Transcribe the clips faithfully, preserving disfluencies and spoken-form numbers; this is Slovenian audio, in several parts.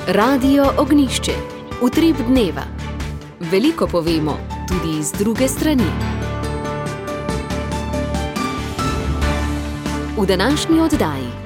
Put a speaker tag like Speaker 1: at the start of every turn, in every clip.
Speaker 1: Radio Ognjišče. Utrip dneva. Veliko povemo, tudi iz druge strani. V današnji oddaji.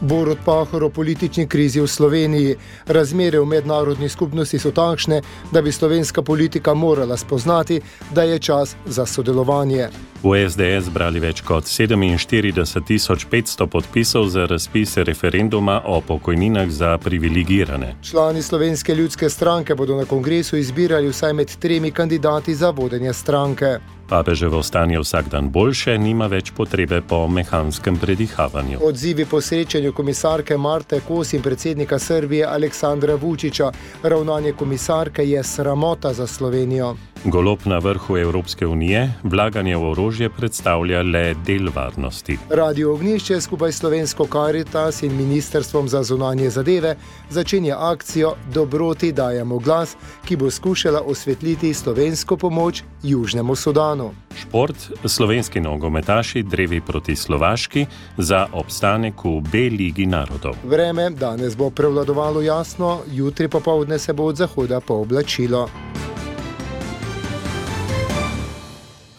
Speaker 2: Borut Pahor o politični krizi v Sloveniji. Razmere v mednarodni skupnosti so takšne, da bi slovenska politika morala spoznati, da je čas za sodelovanje.
Speaker 3: V es de es zbrali več kot sedeminštirideset tisoč petsto podpisov za razpis referenduma o pokojninah za privilegirane.
Speaker 2: Člani Slovenske ljudske stranke bodo na kongresu izbirali vsaj med tremi kandidati za vodenje stranke.
Speaker 3: Papeževo stanje vsak dan boljše, nima več potrebe po mehanskem predihavanju.
Speaker 2: Odzivi po srečanju komisarke Marte Kos in predsednika Srbije Aleksandra Vučića. Ravnanje komisarke je sramota za Slovenijo.
Speaker 3: Golob na vrhu Evropske unije, vlaganje v orožje predstavlja le del varnosti.
Speaker 2: Radio Ognjišče skupaj s Slovensko Karitas in Ministrstvom za zunanje zadeve začenja akcijo Dobroti dajemo glas, ki bo skušala osvetliti slovensko pomoč Južnemu Sudanu.
Speaker 3: Šport, slovenski nogometaši drevi proti Slovaški za obstanek v B ligi narodov.
Speaker 2: Vreme danes bo prevladovalo jasno, jutri popoldne se bo od zahoda pooblačilo.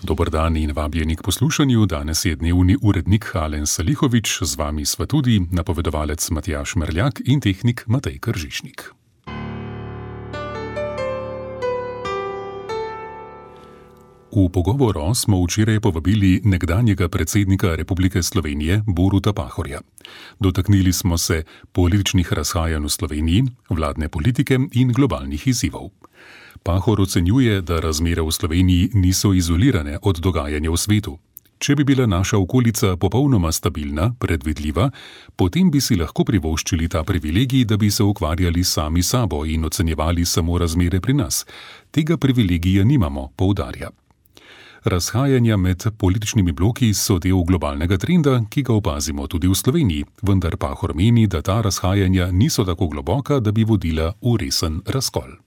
Speaker 4: Dober dan in vabljeni k poslušanju. Danes je dnevni urednik Alen Salihovič, z vami sva tudi napovedovalec Matjaž Merljak in tehnik Matej Kržišnik. V pogovoru smo včeraj povabili nekdanjega predsednika Republike Slovenije Boruta Pahorja. Dotaknili smo se političnih razhajanj v Sloveniji, vladne politike in globalnih izzivov. Pahor ocenjuje, da razmere v Sloveniji niso izolirane od dogajanja v svetu. Če bi bila naša okolica popolnoma stabilna, predvidljiva, potem bi si lahko privoščili ta privilegij, da bi se ukvarjali sami sabo in ocenjevali samo razmere pri nas. Tega privilegija nimamo, poudarja. Razhajanja med političnimi bloki so del globalnega trenda, ki ga opazimo tudi v Sloveniji, vendar Pahor meni, da ta razhajanja niso tako globoka, da bi vodila v resen razkol.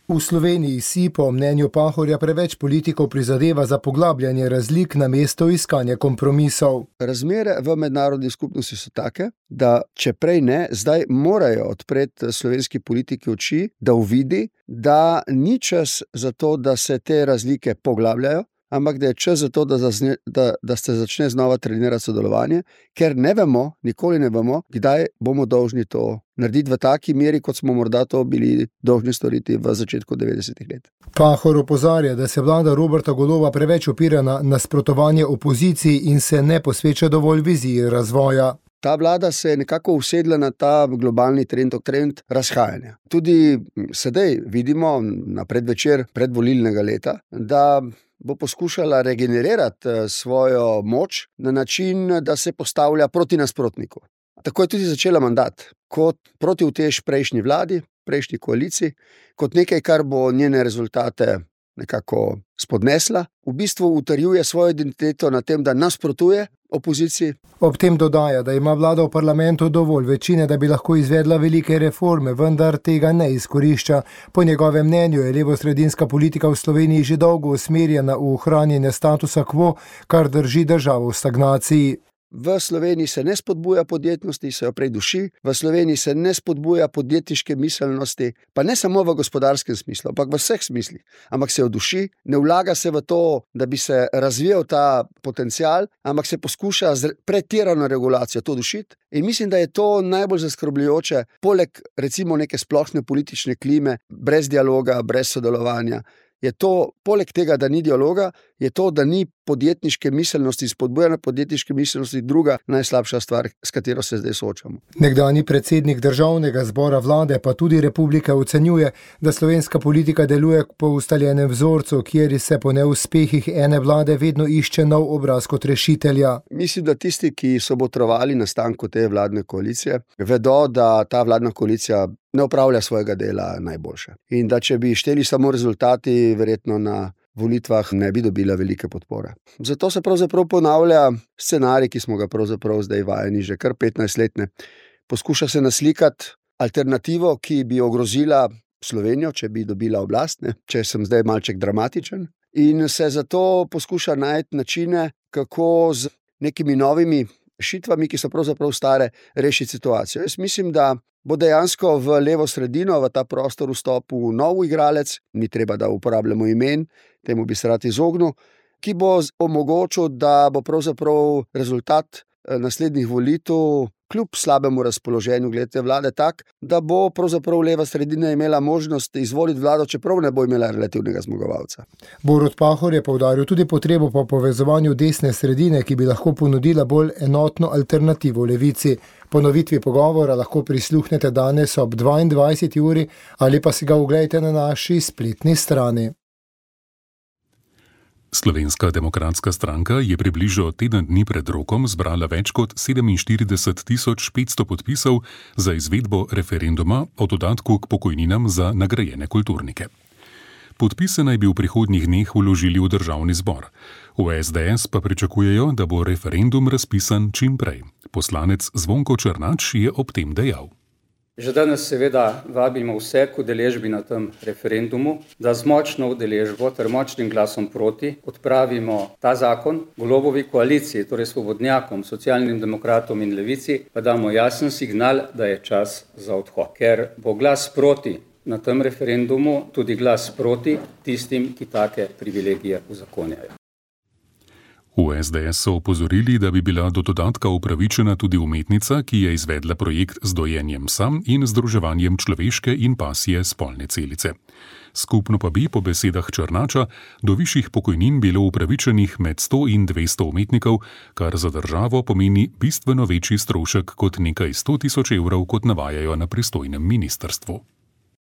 Speaker 2: V Sloveniji si, po mnenju Pahorja, preveč politikov prizadeva za poglabljanje razlik namesto iskanja kompromisov.
Speaker 5: Razmere v mednarodni skupnosti so take, da če prej ne, zdaj morajo odpreti slovenski politiki oči, da uvidi, da ni čas za to, da se te razlike poglabljajo, ampak da je čas za to, da, zazne, da, da se začne znova trenirati sodelovanje, ker ne vemo, nikoli ne vemo, kdaj bomo dolžni to narediti v taki meri, kot smo morda to bili dolžni storiti v začetku devetdesetih let.
Speaker 2: Pahor opozarja, da se vlada Roberta Goloba preveč opira na nasprotovanje opoziciji in se ne posveča dovolj viziji razvoja.
Speaker 5: Ta vlada se je nekako usedla na ta globalni trend, trend razhajanja. Tudi sedaj vidimo na predvečer predvolilnega leta, da bo poskušala regenerirati svojo moč na način, da se postavlja proti nasprotniku. Tako je tudi začela mandat, kot protiutež prejšnji vladi, prejšnji koaliciji, kot nekaj, kar bo njene rezultate nekako spodnesla. V bistvu utrjuje svojo identiteto na tem, da nasprotuje opoziciji.
Speaker 2: Ob tem dodaja, da ima vlada v parlamentu dovolj večine, da bi lahko izvedla velike reforme, vendar tega ne izkorišča. Po njegovem mnenju je levosredinska politika v Sloveniji že dolgo usmerjena v ohranjanje statusa quo, kar drži državo v stagnaciji.
Speaker 5: V Sloveniji se ne spodbuja podjetnosti, se jo prej duši. V Sloveniji se ne spodbuja podjetniške miselnosti, pa ne samo v gospodarskem smislu, ampak v vseh smislih. Ampak se jo duši, ne vlaga se v to, da bi se razvijal ta potencial, ampak se poskuša z pretirano regulacijo to dušiti. In mislim, da je to najbolj zaskrbljujoče, poleg recimo neke splošne politične klime, brez dialoga, brez sodelovanja. Je to, poleg tega, da ni dialoga, je to, da ni podjetniške miselnosti, spodbujanja podjetniške miselnosti druga najslabša stvar, s katero se zdaj soočamo.
Speaker 2: Nekdanji predsednik Državnega zbora vlade pa tudi republike ocenjuje, da slovenska politika deluje po ustaljenem vzorcu, kjer se po neuspehih ene vlade vedno išče nov obraz kot rešitelja.
Speaker 5: Mislim, da tisti, ki so botrovali nastanku te vladne koalicije, vedo, da ta vladna koalicija ne opravlja svojega dela najboljše. In da če bi šteli samo rezultati, verjetno na volitvah ne bi dobila velike podpore. Zato se pravzaprav ponavlja scenarij, ki smo ga pravzaprav zdaj vajeni že kar petnajst let. Poskuša se naslikati alternativo, ki bi ogrozila Slovenijo, če bi dobila oblast, ne? Če sem zdaj malček dramatičen. In se zato poskuša najti načine, kako z nekimi novimi rešitvami, ki so pravzaprav stare, rešiti situacijo. Jaz mislim, da bo dejansko v levo sredino, v ta prostor vstopil nov igralec, ni treba, da uporabljamo imen, temu bi se rad izognil, ki bo omogočil, da bo pravzaprav rezultat naslednjih volitev kljub slabemu razpoloženju glede vlade tak, da bo pravzaprav leva sredina imela možnost izvoliti vlado, čeprav ne bo imela relativnega zmagovalca.
Speaker 2: Borut Pahor je poudaril tudi potrebo po povezovanju desne sredine, ki bi lahko ponudila bolj enotno alternativo levici. Ponovitvi pogovora lahko prisluhnete danes ob dvaindvajseti uri ali pa si ga oglejte na naši spletni strani.
Speaker 4: Slovenska demokratska stranka je približno teden dni pred rokom zbrala več kot sedeminštirideset tisoč petsto podpisov za izvedbo referenduma o dodatku k pokojninam za nagrajene kulturnike. Podpise naj bi v prihodnjih dneh vložili v državni zbor. V es de es pa pričakujejo, da bo referendum razpisan čim prej. Poslanec Zvonko Černač je ob tem dejal.
Speaker 6: Že danes seveda vabimo vse k udeležbi na tem referendumu, da z močno udeležbo ter močnim glasom proti odpravimo ta zakon. Golobovi koaliciji, torej svobodnjakom, socialnim demokratom in levici, pa damo jasen signal, da je čas za odhod. Ker bo glas proti na tem referendumu tudi glas proti tistim, ki take privilegije uzakonjajo.
Speaker 4: V es de es so opozorili, da bi bila do dodatka upravičena tudi umetnica, ki je izvedla projekt z dojenjem psa in združevanjem človeške in pasje spolne celice. Skupno pa bi, po besedah Černača, do višjih pokojnin bilo upravičenih med sto in dvesto umetnikov, kar za državo pomeni bistveno večji strošek kot nekaj sto tisoč evrov, kot navajajo na pristojnem ministrstvu.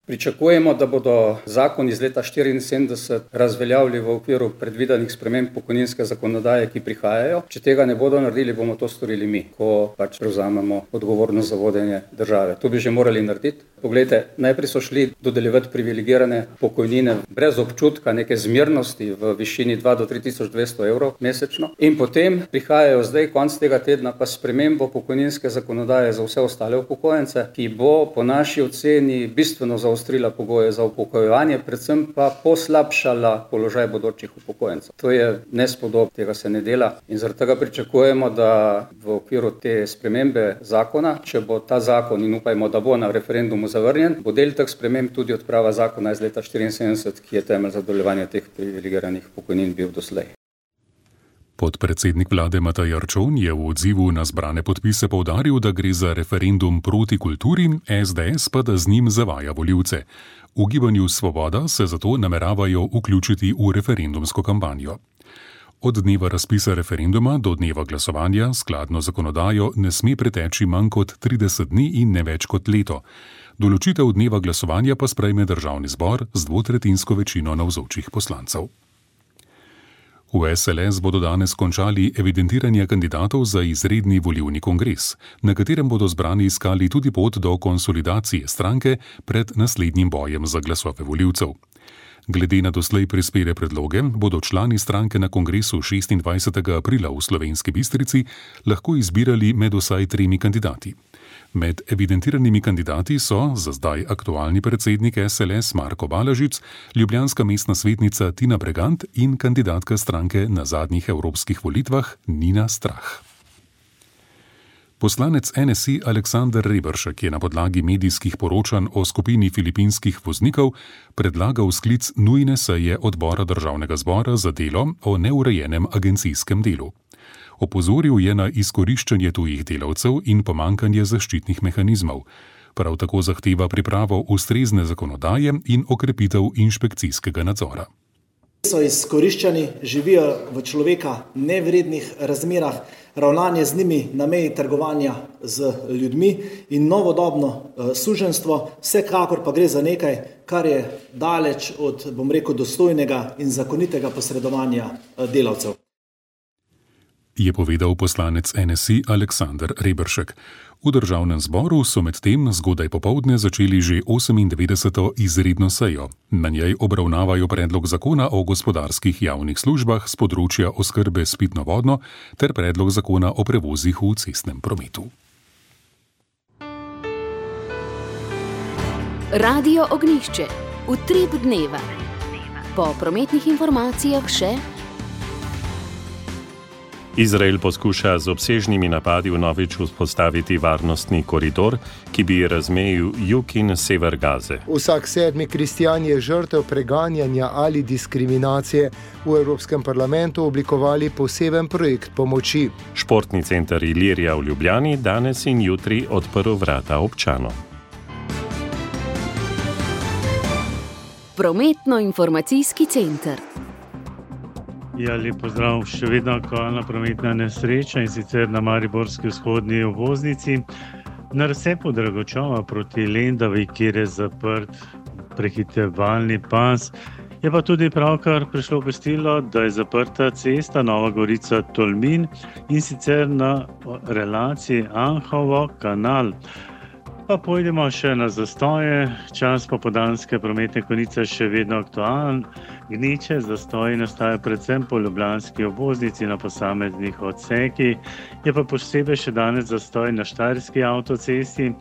Speaker 6: Pričakujemo, da bodo zakon iz leta štiriinsedemdeset razveljavili v okviru predvidenih sprememb pokojninske zakonodaje, ki prihajajo. Če tega ne bodo naredili, bomo to storili mi, ko pač prevzamemo odgovornost za vodenje države. To bi že morali narediti. Poglejte, najprej so šli dodeljevati privilegirane pokojnine brez občutka neke zmernosti v višini dva do tri tisoč dvesto evrov mesečno. In potem prihajajo zdaj konc tega tedna pa spremembo pokojninske zakonodaje za vse ostale upokojence, ki bo po naši oceni bistveno zaostrila pogoje za upokojevanje, predvsem pa poslabšala položaj bodočih upokojencev. To je nespodobno, tega se ne dela in zaradi tega pričakujemo, da v okviru te spremembe zakona, če bo ta zakon in upajmo, da bo na referendumu zavrnjen, bo del teh sprememb tudi odprava zakona iz leta štiriinsedemdeset, ki je temelj za dodeljevanje teh privilegiranih pokojnin bil doslej.
Speaker 4: Podpredsednik vlade Matej Arčon je v odzivu na zbrane podpise poudaril, da gre za referendum proti kulturi, es de es pa da z njim zavaja volivce. V gibanju Svoboda se zato nameravajo vključiti v referendumsko kampanjo. Od dneva razpisa referenduma do dneva glasovanja skladno zakonodajo ne sme preteči manj kot trideset dni in ne več kot leto. Določitev dneva glasovanja pa sprejme državni zbor z dvotretjinsko večino navzočih poslancev. V es el es bodo danes končali evidentiranje kandidatov za izredni volilni kongres, na katerem bodo zbrani iskali tudi pot do konsolidacije stranke pred naslednjim bojem za glasove volivcev. Glede na doslej prispele predloge, bodo člani stranke na kongresu šestindvajsetega aprila v Slovenski Bistrici lahko izbirali med vsaj tremi kandidati. Med evidentiranimi kandidati so za zdaj aktualni predsednik es el es Marko Balažič, ljubljanska mestna svetnica Tina Bregant in kandidatka stranke na zadnjih evropskih volitvah Nina Strah. Poslanec en es i Aleksander Reberšek je na podlagi medijskih poročanj o skupini filipinskih voznikov predlagal sklic nujne seje odbora državnega zbora za delo o neurejenem agencijskem delu. Opozoril je na izkoriščanje tujih delavcev in pomankanje zaščitnih mehanizmov. Prav tako zahteva pripravo ustrezne zakonodaje in okrepitev inšpekcijskega nadzora.
Speaker 7: So izkoriščani, živijo v človeka nevrednih razmerah, ravnanje z njimi na meji trgovanja z ljudmi in novodobno uh, suženjstvo, vsekakor pa gre za nekaj, kar je daleč od, bom rekel, dostojnega in zakonitega posredovanja uh, delavcev.
Speaker 4: Je povedal poslanec en es i Aleksander Reberšek. V državnem zboru so medtem zgodaj popoldne začeli že osemindevetdeseto izredno sejo. Na njej obravnavajo predlog zakona o gospodarskih javnih službah s področja oskrbe s pitno vodo ter predlog zakona o prevozih v cestnem prometu.
Speaker 1: Radio Ognjišče. Utrip dneva. Po prometnih informacijah še
Speaker 3: Izrael poskuša z obsežnimi napadi vnovič vzpostaviti varnostni koridor, ki bi razmejil jug in sever Gaze.
Speaker 2: Vsak sedmi kristjan je žrtev preganjanja ali diskriminacije. V Evropskem parlamentu oblikovali poseben projekt pomoči.
Speaker 3: Športni center Ilirija v Ljubljani danes in jutri odprl vrata občanom.
Speaker 1: Prometno-informacijski center.
Speaker 8: Ja, lep pozdrav, še vedno aktualna prometna nesreča in sicer na mariborski vzhodni obvoznici. Na razcepu Dragočova proti Lendavi, kjer je zaprt prehitevalni pas, je pa tudi pravkar prišlo obvestilo, da je zaprta cesta Nova Gorica-Tolmin in sicer na relaciji Anhovo-Kanal. Pa pojdemo še na zastoje. Čas popoldanske prometne konice še vedno aktualen. Gneče zastoji nastajajo predvsem po ljubljanski obvoznici na posameznih odsekih. Je pa posebej še danes zastoj na Štajerski avtocesti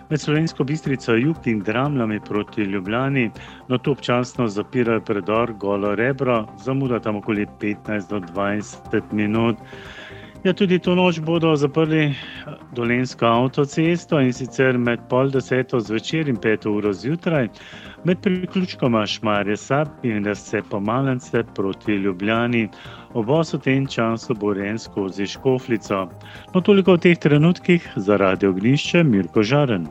Speaker 8: med Slovensko Bistrico jug in Dramljami proti Ljubljani. No, to občasno zapirajo predor Golo Rebro, zamuda tam okoli petnajst do dvajset minut. Ja, tudi to noč bodo zaprli Dolenjsko avtocesto in sicer med pol deseto zvečer in peto uro zjutraj, med priključkoma Šmarje-Sab in Razcepo-Malence proti Ljubljani. Obvoz v tem času bo urejen skozi Škofljico. No, toliko v teh trenutkih za Radio Ognjišče, Mirko Žaren.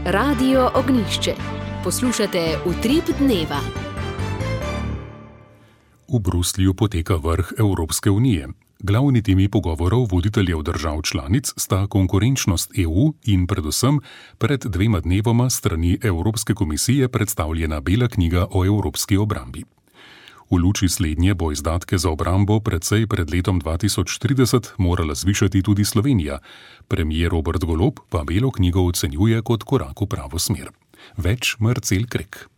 Speaker 1: Radio Ognjišče. Poslušate Utrip dneva.
Speaker 4: V Bruslju poteka vrh Evropske unije. Glavni temi pogovorov voditeljev držav članic sta konkurenčnost E U in predvsem pred dvema dnevoma strani Evropske komisije predstavljena Bela knjiga o evropski obrambi. V luči slednje bo izdatke za obrambo precej pred letom dva tisoč trideset morala zvišati tudi Slovenija. Premier Robert Golob pa Belo knjigo ocenjuje kot korak v pravo smer. Več Marcel Krek.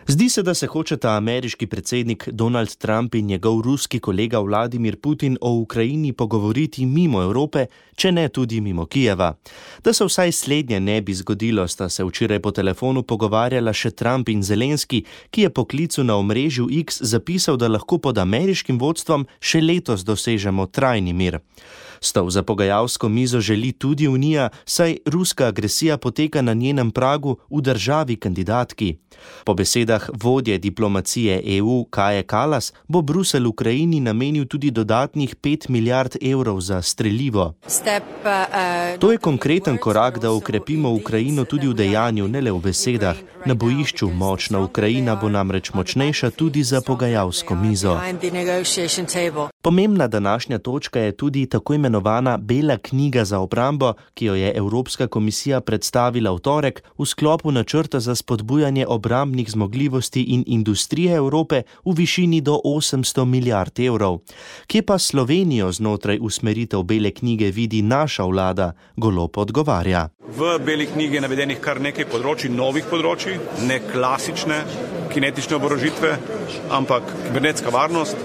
Speaker 9: Zdi se, da se hočeta ameriški predsednik Donald Trump in njegov ruski kolega Vladimir Putin o Ukrajini pogovoriti mimo Evrope, če ne tudi mimo Kijeva. Da se vsaj slednje ne bi zgodilo, sta se včeraj po telefonu pogovarjala še Trump in Zelenski, ki je po klicu na omrežju X zapisal, da lahko pod ameriškim vodstvom še letos dosežemo trajni mir. Stol za pogajalsko mizo želi tudi Unija, saj ruska agresija poteka na njenem pragu v državi kandidatki. Po besedah vodje diplomacije E U Kaje Kallas bo Bruselj Ukrajini namenil tudi dodatnih pet milijard evrov za strelivo. To je konkreten korak, da okrepimo Ukrajino tudi v dejanju, ne le v besedah. Na bojišču močna Ukrajina bo namreč močnejša tudi za pogajalsko mizo. Pomembna današnja točka je tudi tako imenovana Bela knjiga za obrambo, ki jo je Evropska komisija predstavila v torek v sklopu načrta za spodbujanje obrambnih zmogljivosti in industrije Evrope v višini do osemsto milijard evrov. Kje pa Slovenijo znotraj usmeritev Bele knjige vidi naša vlada, Golob odgovarja.
Speaker 10: V Beli knjigi je navedenih kar nekaj področij, novih področij, ne klasične kinetične oborožitve, ampak kibernetska varnost,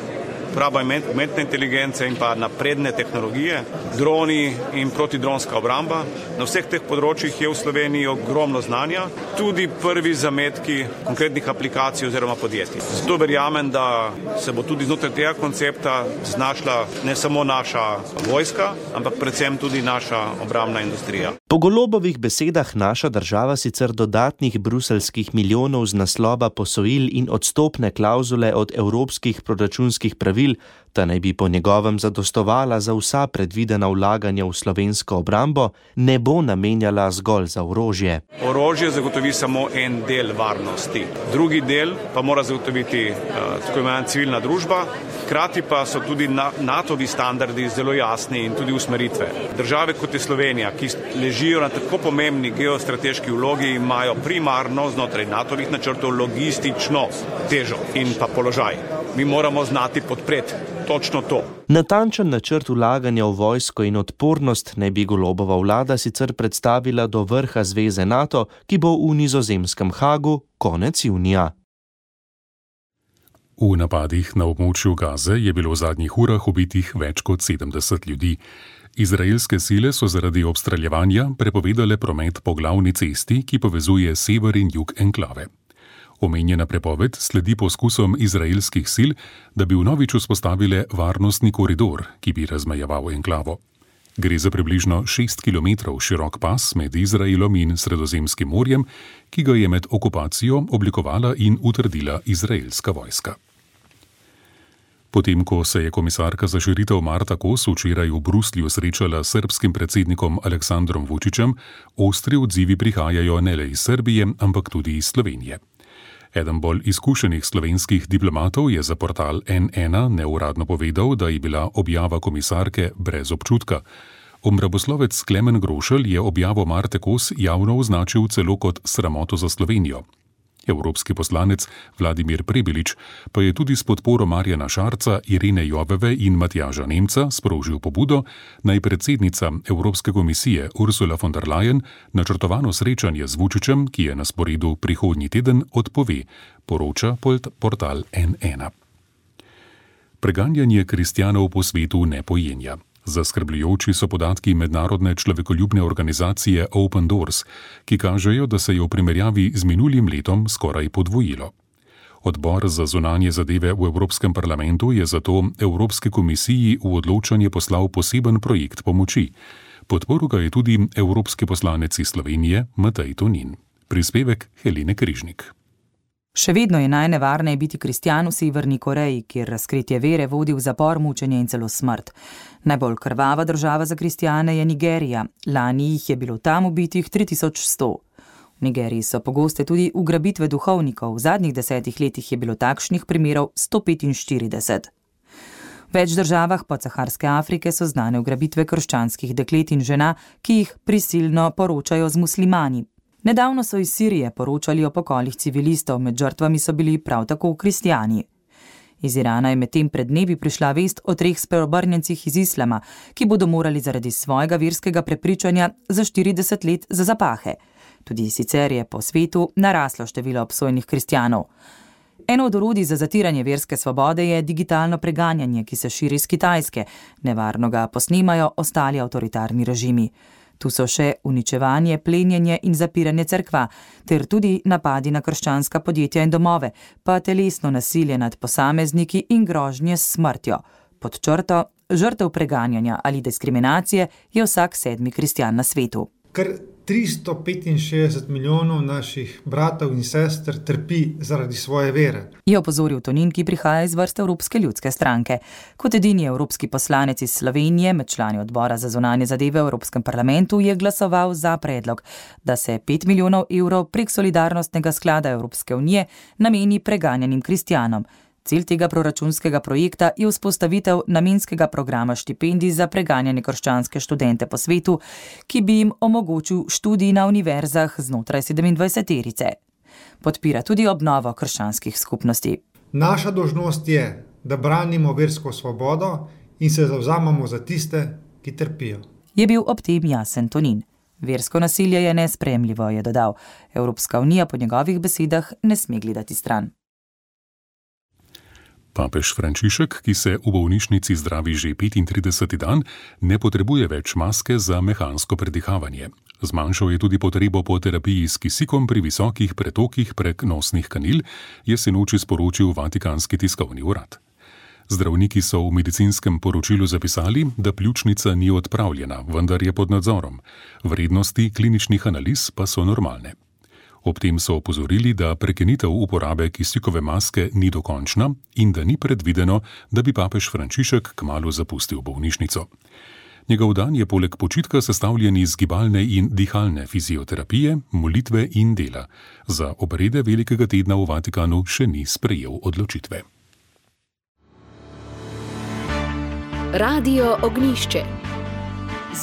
Speaker 10: uporaba umetne inteligence in pa napredne tehnologije, droni in protidronska obramba. Na vseh teh področjih je v Sloveniji ogromno znanja, tudi prvi zametki konkretnih aplikacij oziroma podjetij. Zato verjamem, da se bo tudi znotraj tega koncepta znašla ne samo naša vojska, ampak predvsem tudi naša obrambna industrija.
Speaker 9: Po Golobovih besedah naša država sicer dodatnih bruseljskih milijonov z naslova posojil in odstopne klauzule od evropskih proračunskih pravil, ta naj bi po njegovem zadostovala za vsa predvidena vlaganja v slovensko obrambo, ne bo namenjala zgolj za orožje.
Speaker 10: Orožje zagotovi samo en del varnosti. Drugi del pa mora zagotoviti uh, tako imenovana civilna družba, hkrati pa so tudi natovi standardi zelo jasni in tudi usmeritve. Države kot je Slovenija, ki ležijo na tako pomembni geostrateški vlogi, imajo primarno znotraj natovih načrtov logistično težo in pa položaj. Mi moramo znati podpreti točno to.
Speaker 9: Natančen načrt vlaganja v vojsko in odpornost naj bi Golobova vlada sicer predstavila do vrha zveze NATO, ki bo v nizozemskem Hagu konec junija.
Speaker 4: V napadih na območju Gaze je bilo v zadnjih urah ubitih več kot sedemdeset ljudi. Izraelske sile so zaradi obstreljevanja prepovedale promet po glavni cesti, ki povezuje sever in jug enklave. Omenjena prepoved sledi poskusom izraelskih sil, da bi vnovič vzpostavile varnostni koridor, ki bi razmejeval enklavo. Gre za približno šest kilometrov širok pas med Izraelom in Sredozemskim morjem, ki ga je med okupacijo oblikovala in utrdila izraelska vojska. Potem, ko se je komisarka za širitev Marta Kos včeraj v Bruslju srečala s srbskim predsednikom Aleksandrom Vučićem, ostri odzivi prihajajo ne le iz Srbije, ampak tudi iz Slovenije. Eden bolj izkušenih slovenskih diplomatov je za portal en ena neuradno povedal, da je bila objava komisarke brez občutka. Obramboslovec Klemen Grošelj je objavo Marte Kos javno označil celo kot sramoto za Slovenijo. Evropski poslanec Vladimir Prebilič pa je tudi s podporo Marjana Šarca, Irene Joveve in Matjaža Nemca sprožil pobudo, naj predsednica Evropske komisije Ursula von der Leyen načrtovano srečanje z Vučićem, ki je na sporedu prihodnji teden, odpove, poroča portal en ena. Preganjanje kristjanov po svetu ne pojenja. Zaskrbljujoči so podatki mednarodne človekoljubne organizacije Open Doors, ki kažejo, da se je v primerjavi z minulim letom skoraj podvojilo. Odbor za zunanje zadeve v Evropskem parlamentu je zato Evropske komisiji v odločanje poslal poseben projekt pomoči. Podporil ga je tudi evropski poslanec iz Slovenije Matej Tonin. Prispevek Helene Križnik.
Speaker 11: Še vedno je najnevarneje biti kristjan v Severni Koreji, kjer razkritje vere vodi v zapor, mučenje in celo smrt. Najbolj krvava država za kristjane je Nigerija. Lani jih je bilo tam ubitih tri tisoč sto. V Nigeriji so pogoste tudi ugrabitve duhovnikov. V zadnjih desetih letih je bilo takšnih primerov sto petinštirideset. V več državah podsaharske Afrike so znane ugrabitve krščanskih deklet in žena, ki jih prisilno poročajo z muslimani. Nedavno so iz Sirije poročali o pokolih civilistov, med žrtvami so bili prav tako kristjani. Iz Irana je medtem pred dnevi prišla vest o treh spreobrnjencih iz islama, ki bodo morali zaradi svojega verskega prepričanja za štirideset let za zapahe. Tudi sicer je po svetu naraslo število obsojenih kristjanov. Eno od orodij za zatiranje verske svobode je digitalno preganjanje, ki se širi iz Kitajske. Nevarno ga posnemajo ostali avtoritarni režimi. Tu so še uničevanje, plenjenje in zapiranje cerkva, ter tudi napadi na krščanska podjetja in domove, pa telesno nasilje nad posamezniki in grožnje s smrtjo. Pod črto, žrtev preganjanja ali diskriminacije je vsak sedmi kristjan na svetu.
Speaker 12: Kar tristo petinšestdeset milijonov naših bratov in sester trpi zaradi svoje vere.
Speaker 11: Je opozoril Tonin, ki prihaja iz vrste Evropske ljudske stranke. Kot edini evropski poslanec iz Slovenije med člani odbora za zunanje zadeve v Evropskem parlamentu je glasoval za predlog, da se pet milijonov evrov prek solidarnostnega sklada Evropske unije nameni preganjanim kristjanom. Cilj tega proračunskega projekta je vzpostavitev namenskega programa štipendij za preganjane krščanske študente po svetu, ki bi jim omogočil študij na univerzah znotraj sedemindvajseterice. Podpira tudi obnovo krščanskih skupnosti.
Speaker 12: Naša dolžnost je, da branimo versko svobodo in se zavzamemo za tiste, ki trpijo.
Speaker 11: Je bil ob tem jasen Tonin. Versko nasilje je nesprejemljivo, je dodal. Evropska unija po njegovih besedah ne sme gledati stran.
Speaker 4: Papež Frančišek, ki se v bolnišnici zdravi že petintrideseti dan, ne potrebuje več maske za mehansko predihavanje. Zmanjšal je tudi potrebo po terapiji s kisikom pri visokih pretokih prek nosnih kanil, je sinoči sporočil Vatikanski tiskovni urad. Zdravniki so v medicinskem poročilu zapisali, da pljučnica ni odpravljena, vendar je pod nadzorom. Vrednosti kliničnih analiz pa so normalne. Ob tem so opozorili, da prekinitev uporabe kisikove maske ni dokončna in da ni predvideno, da bi papež Frančišek kmalu zapustil bolnišnico. Njegov dan je poleg počitka sestavljen iz gibalne in dihalne fizioterapije, molitve in dela. Za obrede velikega tedna v Vatikanu še ni sprejel odločitve.
Speaker 1: Radio Ognjišče.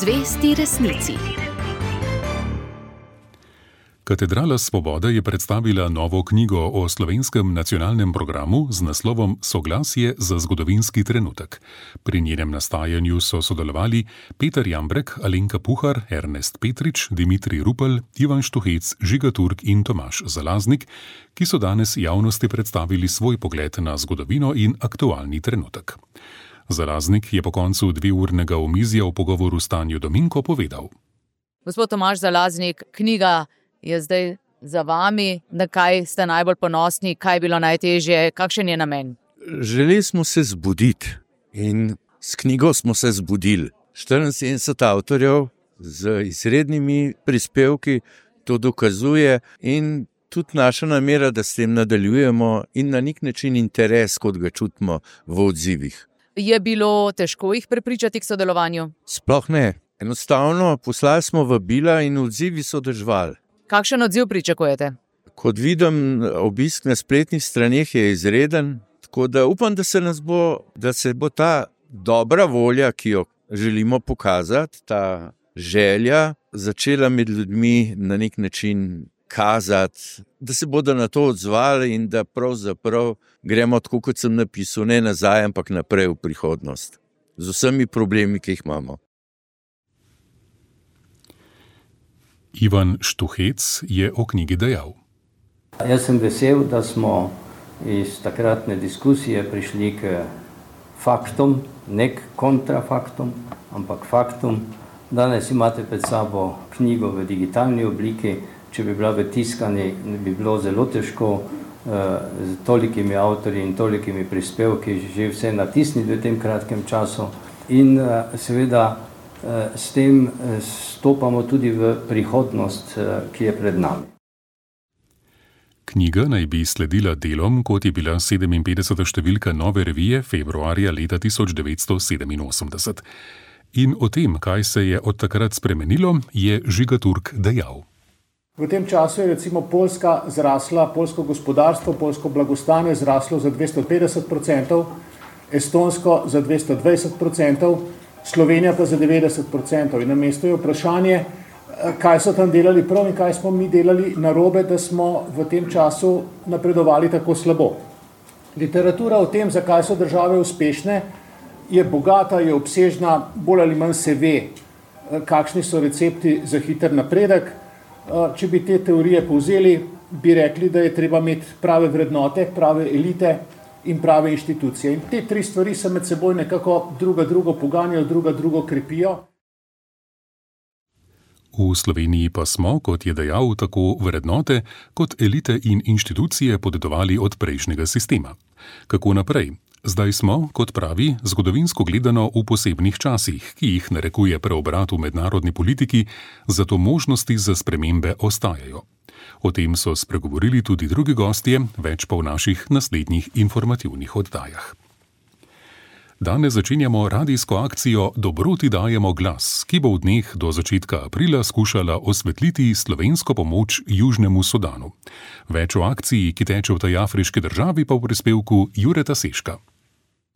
Speaker 1: Zvesti resnici.
Speaker 4: Katedrala Svobode je predstavila novo knjigo o slovenskem nacionalnem programu z naslovom Soglasje za zgodovinski trenutek. Pri njenem nastajanju so sodelovali Peter Jambrek, Alenka Puhar, Ernest Petrič, Dimitrij Rupel, Ivan Štuhec, Žiga Turk in Tomaž Zalaznik, ki so danes javnosti predstavili svoj pogled na zgodovino in aktualni trenutek. Zalaznik je po koncu dveurnega omizja v pogovoru s Tanjo Dominko povedal.
Speaker 13: Gospod Tomaž Zalaznik, knjiga je zdaj za vami, na kaj ste najbolj ponosni, kaj je bilo najtežje, kakšen je namen?
Speaker 14: Želeli smo se zbuditi in s knjigo smo se zbudili. štiriinsedemdeset avtorjev z izrednimi prispevki to dokazuje in tudi naša namera, da s tem nadaljujemo in na nek način interes, kot ga čutimo v odzivih.
Speaker 13: Je bilo težko jih prepričati k sodelovanju?
Speaker 14: Sploh ne. Enostavno poslali smo vabila in odzivi so držali.
Speaker 13: Kakšen odziv pričakujete?
Speaker 14: Kot vidim, obisk na spletnih straneh je izreden, tako da upam, da se nas bo, da se bo ta dobra volja, ki jo želimo pokazati, ta želja začela med ljudmi na nek način kazati, da se bodo na to odzvali in da pravzaprav gremo tako, kot sem napisal, ne nazaj, ampak naprej v prihodnost. Z vsemi problemi, ki jih imamo.
Speaker 4: Ivan Štuhec je o knjigi dejal.
Speaker 15: Jaz sem vesel, da smo iz takratne diskusije prišli k faktom, ne k kontrafaktom, ampak faktom. Danes imate pred sabo knjigo v digitalni obliki. Če bi bila v tiskani, bi bilo zelo težko z tolikimi avtorji in tolikimi prispevki že vse natisniti v tem kratkem času. In seveda s tem stopamo tudi v prihodnost, ki je pred nami.
Speaker 4: Knjiga naj bi sledila delom, kot je bila sedeminpetdeseta številka Nove revije februarja leta tisoč devetsto sedeminosemdeset. In o tem, kaj se je od takrat spremenilo, je Žiga Turk dejal.
Speaker 16: V tem času je recimo Poljska zrasla, poljsko gospodarstvo, poljsko blagostanje zraslo za dvesto petdeset procentov, Estonsko za dvesto dvajset procentov, Slovenija pa za devetdeset procentov. In na mestu je vprašanje, kaj so tam delali prav in kaj smo mi delali narobe, da smo v tem času napredovali tako slabo. Literatura o tem, zakaj so države uspešne, je bogata, je obsežna, bolj ali manj se ve, kakšni so recepti za hiter napredek. Če bi te teorije povzeli, bi rekli, da je treba imeti prave vrednote, prave elite in prave inštitucije. In te tri stvari se med seboj nekako druga drugo poganjajo, druga drugo krepijo.
Speaker 4: V Sloveniji pa smo, kot je dejal, tako vrednote kot elite in inštitucije podedovali od prejšnjega sistema. Kako naprej? Zdaj smo, kot pravi, zgodovinsko gledano v posebnih časih, ki jih narekuje preobrat v mednarodni politiki, zato možnosti za spremembe ostajajo. O tem so spregovorili tudi drugi gostje, več pa v naših naslednjih informativnih oddajah. Danes začenjamo radijsko akcijo Dobroti dajemo glas, ki bo v dneh do začetka aprila skušala osvetliti slovensko pomoč Južnemu Sudanu. Več o akciji, ki teče v tej afriški državi, pa v prispevku Jureta Seška.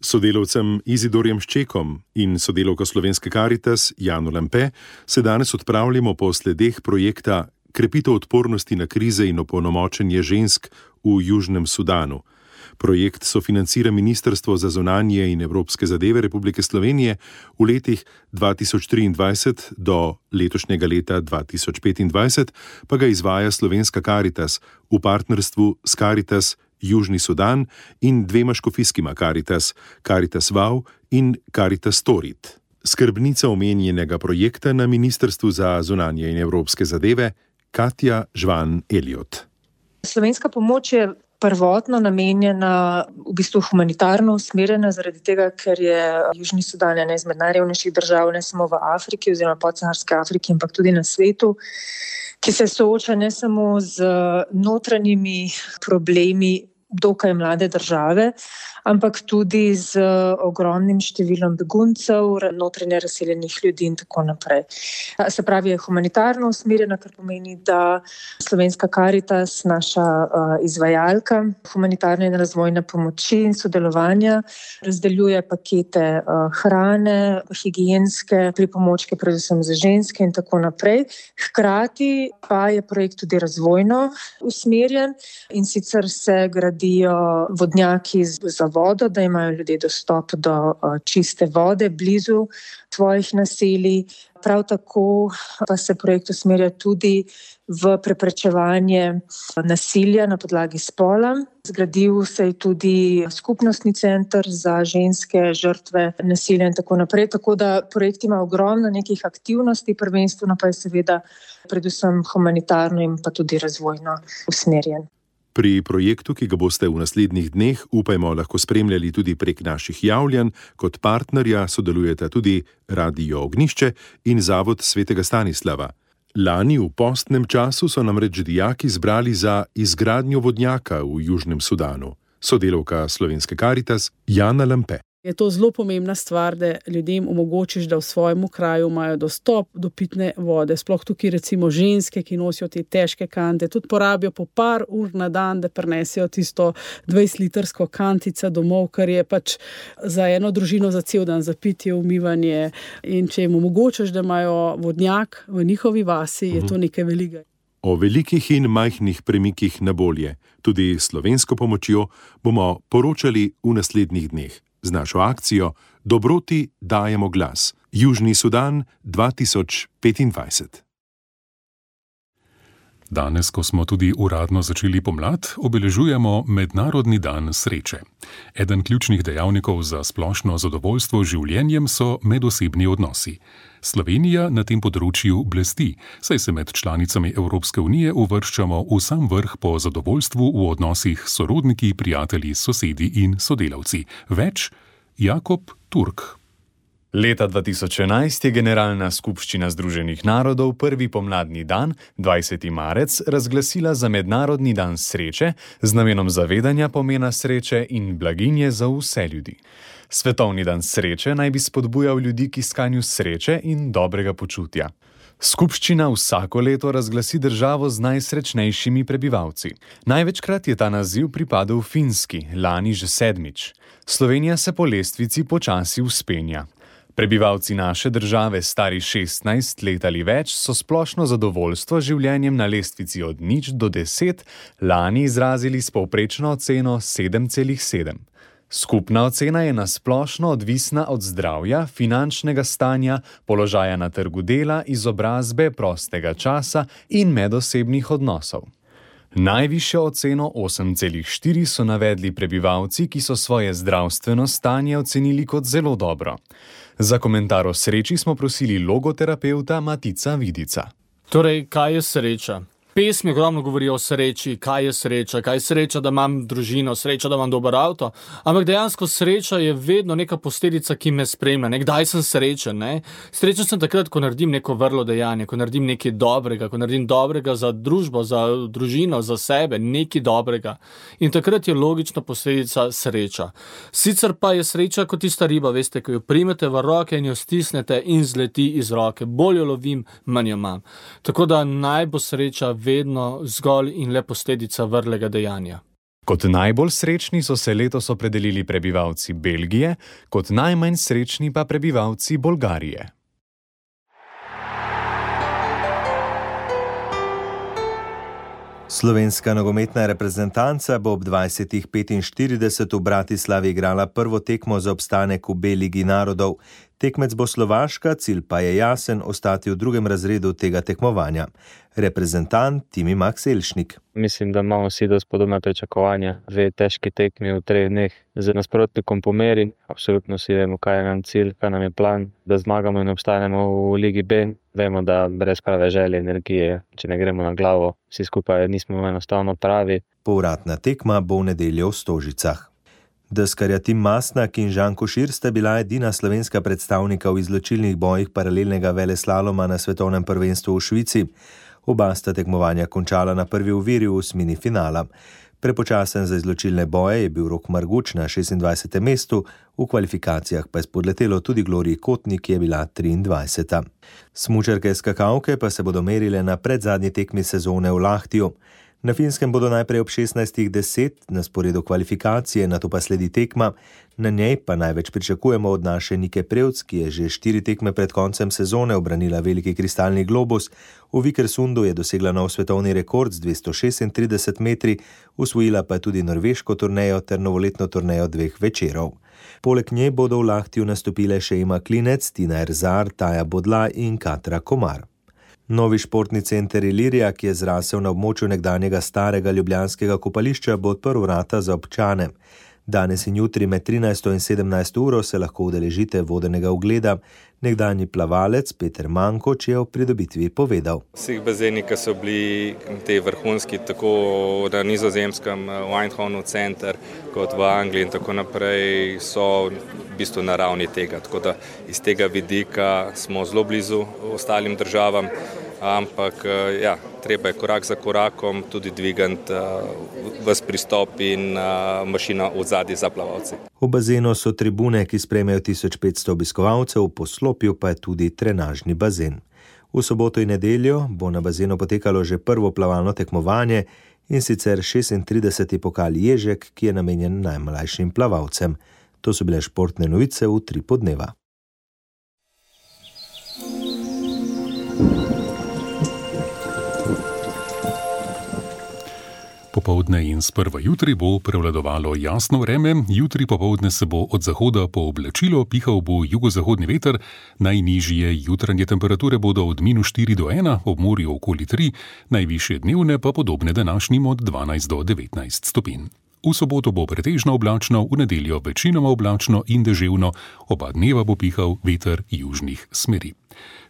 Speaker 17: Sodelavcem Izidorjem Ščekom in sodelavko Slovenske Karitas Jano Lampe se danes odpravljamo po sledeh projekta Krepitev odpornosti na krize in opolnomočenje žensk v Južnem Sudanu. Projekt sofinancira Ministrstvo za zunanje in evropske zadeve Republike Slovenije v letih dva tisoč triindvajset do letošnjega leta dva tisoč petindvajset, pa ga izvaja Slovenska Karitas v partnerstvu s Karitas Južni Sudan in dvema škofijskima Karitas, Karitas Vau in Karitas Torit. Skrbnica omenjenega projekta na Ministrstvu za zunanje in evropske zadeve Katja Žvan Eliot.
Speaker 18: Slovenska pomoč je prvotno namenjena v bistvu humanitarno usmerjena, zaradi tega, ker je Južni Sudan ena izmed najrevnejših držav, ne samo v Afriki oziroma podsaharski Afriki, ampak tudi na svetu, ki se sooča ne samo z notranjimi problemi dokaj mlade države, ampak tudi z ogromnim številom beguncev, notranje razseljenih ljudi in tako naprej. Se pravi, je humanitarno usmerjena, kar pomeni, da Slovenska Karitas, naša uh, izvajalka humanitarne in razvojne pomoči in sodelovanja, razdeljuje pakete uh, hrane, higienske pripomočke, predvsem za ženske in tako naprej. Hkrati pa je projekt tudi razvojno usmerjen in sicer se gradi zgradijo vodnjaki za vodo, da imajo ljudje dostop do čiste vode blizu svojih naselij. Prav tako pa se projekt usmerja tudi v preprečevanje nasilja na podlagi spola. Zgradil se je tudi skupnostni center za ženske žrtve nasilja in tako naprej. Tako da projekt ima ogromno nekih aktivnosti, prvenstveno pa je seveda predvsem humanitarno in pa tudi razvojno usmerjen.
Speaker 17: Pri projektu, ki ga boste v naslednjih dneh, upajmo, lahko spremljali tudi prek naših javljanj, kot partnerja sodelujeta tudi Radio Ognišče in Zavod Svetega Stanislava. Lani v postnem času so namreč dijaki zbrali za izgradnjo vodnjaka v Južnem Sudanu. Sodelavka Slovenske Karitas Jana Lampe.
Speaker 19: Je to zelo pomembna stvar, da ljudem omogočiš, da v svojem kraju imajo dostop do pitne vode. Sploh tukaj recimo ženske, ki nosijo te težke kante, tudi porabijo po par ur na dan, da prenesijo tisto dvajsetlitrsko kantico domov, kar je pač za eno družino za cel dan, za pitje, umivanje. In če jim omogočiš, da imajo vodnjak v njihovi vasi, je to nekaj velikega.
Speaker 17: O velikih in majhnih premikih na bolje, tudi slovensko pomočjo, bomo poročali v naslednjih dneh. Z našo akcijo Dobroti dajemo glas. Južni Sudan dva tisoč petindvajset.
Speaker 4: Danes, ko smo tudi uradno začeli pomlad, obeležujemo Mednarodni dan sreče. Eden ključnih dejavnikov za splošno zadovoljstvo življenjem so medosebni odnosi. Slovenija na tem področju blesti, saj se med članicami Evropske unije uvrščamo v sam vrh po zadovoljstvu v odnosih s sorodniki, prijatelji, sosedi in sodelavci. Več Jakob Turk.
Speaker 20: Leta dva tisoč enajst je Generalna skupščina Združenih narodov prvi pomladni dan, dvajseti marec, razglasila za Mednarodni dan sreče z namenom zavedanja pomena sreče in blaginje za vse ljudi. Svetovni dan sreče naj bi spodbujal ljudi k iskanju sreče in dobrega počutja. Skupščina vsako leto razglasi državo z najsrečnejšimi prebivalci. Največkrat je ta naziv pripadel Finski, lani že sedmič. Slovenija se po lestvici počasi vzpenja. Prebivalci naše države, stari šestnajst let ali več, so splošno zadovoljstvo z življenjem na lestvici od nič do deset lani izrazili s povprečno oceno sedem celih sedem. Skupna ocena je nasplošno odvisna od zdravja, finančnega stanja, položaja na trgu dela, izobrazbe, prostega časa in medosebnih odnosov. Najvišjo oceno osem celih štiri so navedli prebivalci, ki so svoje zdravstveno stanje ocenili kot zelo dobro. Za komentar o sreči smo prosili logoterapeuta Matica Vidica.
Speaker 21: Torej, kaj je sreča? Pesmi ogromno govorijo o sreči, kaj je sreča, kaj je sreča, da imam družino, sreča, da imam dober avto, ampak dejansko sreča je vedno neka posledica, ki me spremlja. Nekdaj sem srečen, ne? Srečen sem takrat, ko naredim neko vrlo dejanje, ko naredim nekaj dobrega, ko naredim dobrega za družbo, za družino, za sebe, nekaj dobrega. In takrat je logična posledica sreča. Sicer pa je sreča kot tista riba, veste, ko jo primete v roke in jo stisnete in zleti iz roke. Bolj jo lovim, manj jo imam. Tako da naj bo sreča vedno zgolj in le posledica vrlega dejanja.
Speaker 20: Kot najbolj srečni so se letos opredelili prebivalci Belgije, kot najmanj srečni pa prebivalci Bolgarije.
Speaker 22: Slovenska nogometna reprezentanca bo ob dvajsetih petinštirideset v Bratislavi igrala prvo tekmo za obstanek v B-ligi narodov. Tekmec bo Slovaška, cilj pa je jasen, ostati v drugem razredu tega tekmovanja. Reprezentant Timi Max Elšnik.
Speaker 23: Mislim, da imamo vsi dosti podobna pričakovanja. Dve težki tekmi v treh dneh z nasprotnikom po meri. Absolutno si vemo, kaj je nam cilj, kaj nam je plan, da zmagamo in obstanemo v Ligi B. Vemo, da brez prave želje, energije, če ne gremo na glavo, vsi skupaj nismo enostavno pravi.
Speaker 22: Povratna tekma bo v nedeljo v Stožicah. Deskarja Tim Masnak in Žan Košir sta bila edina slovenska predstavnika v izločilnih bojih paralelnega veleslaloma na svetovnem prvenstvu v Švici. Oba sta tekmovanja končala na prvi oviri v osmini finala. Prepočasen za izločilne boje je bil Rok Marguč na šestindvajsetem mestu, v kvalifikacijah pa je spodletelo tudi Gloriji Kotnik, ki je bila triindvajseta. Smučarke skakalke pa se bodo merile na predzadnji tekmi sezone v Lahtiju. Na Finskem bodo najprej ob šestnajstih deset na sporedu kvalifikacije, nato pa sledi tekma. Na njej pa največ pričakujemo od naše Nike Prevc, ki je že štiri tekme pred koncem sezone obranila veliki kristalni globus. V Vikersundu je dosegla nov svetovni rekord z dvesto šestintrideset metri, usvojila pa tudi norveško turnejo ter novoletno turnejo dveh večerov. Poleg nje bodo v Lahtiju nastopile še Ema Klinec, Tina Erzar, Taja Bodla in Katra Komar. Novi športni center Ilirija, ki je zrasel na območju nekdanjega starega ljubljanskega kopališča, bo odprl vrata za občane. Danes in jutri med trinajsto in sedemnajsto uro se lahko udeležite vodenega ogleda. Nekdanji plavalec Peter Mankoč je o pridobitvi povedal.
Speaker 5: Vsi bazeni, ki so bili te vrhunski, tako na Nizozemskem, v Eindhovenu center, kot v Angliji in tako naprej, so v bistvu na ravni tega. Tako da iz tega vidika smo zelo blizu ostalim državam, ampak ja, treba je korak za korakom tudi dvigati ves pristop in mašina v zadnji za plavalce.
Speaker 22: V bazenu so tribune, ki sprejmejo tisoč petsto obiskovalcev, v poslopju pa je tudi trenažni bazen. V soboto in nedeljo bo na bazenu potekalo že prvo plavalno tekmovanje, in sicer šestintrideseti pokal Ježek, ki je namenjen najmlajšim plavalcem. To so bile športne novice v Utripu dneva.
Speaker 4: Popoldne in sprva jutri bo prevladovalo jasno vreme, jutri popoldne se bo od zahoda pooblačilo, pihal bo jugozahodni veter, najnižje jutranje temperature bodo od minus štiri do ena, ob morju okoli tri, najvišje dnevne pa podobne današnjim od dvanajst do devetnajst stopinj. V soboto bo pretežno oblačno, v nedeljo večinoma oblačno in deževno, oba dneva bo pihal veter južnih smeri.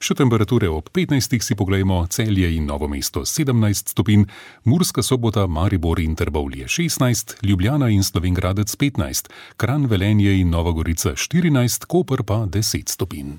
Speaker 4: Še temperature ob petnajstih si poglejmo: Celje in Novo mesto sedemnajst stopinj, Murska Sobota, Maribor in Trbovlje šestnajst, Ljubljana in Slovenj Gradec petnajst, Kranj, Velenje in Nova Gorica štirinajst, Koper pa deset stopinj.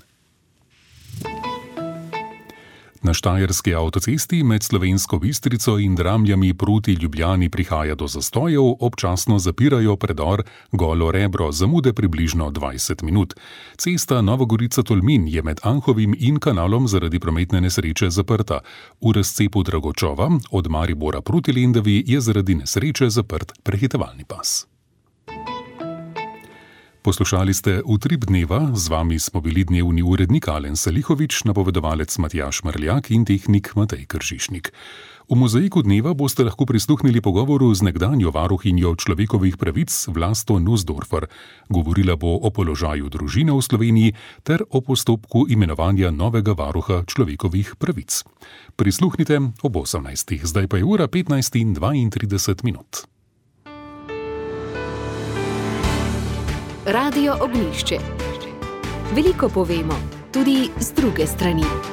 Speaker 4: Na štajerski avtocesti med Slovensko Bistrico in Dramljami proti Ljubljani prihaja do zastojev, občasno zapirajo predor Golo Rebro, zamude približno dvajset minut. Cesta Nova Gorica-Tolmin je med Anhovim in kanalom zaradi prometne nesreče zaprta. V razcepu Dragočova od Maribora proti Lendavi je zaradi nesreče zaprt prehitevalni pas. Poslušali ste Utrip dneva, z vami smo bili dnevni urednik Alen Salihovič, napovedovalec Matjaž Mrljak in tehnik Matej Kržišnik. V mozaiku dneva boste lahko prisluhnili pogovoru z nekdanjo varuhinjo človekovih pravic Vlasto Nussdorfer. Govorila bo o položaju družine v Sloveniji ter o postopku imenovanja novega varuha človekovih pravic. Prisluhnite ob osemnajstih, zdaj pa je ura petnajst in dvaintrideset minut.
Speaker 1: Radio Ognjišče. Veliko povemo, tudi z druge strani.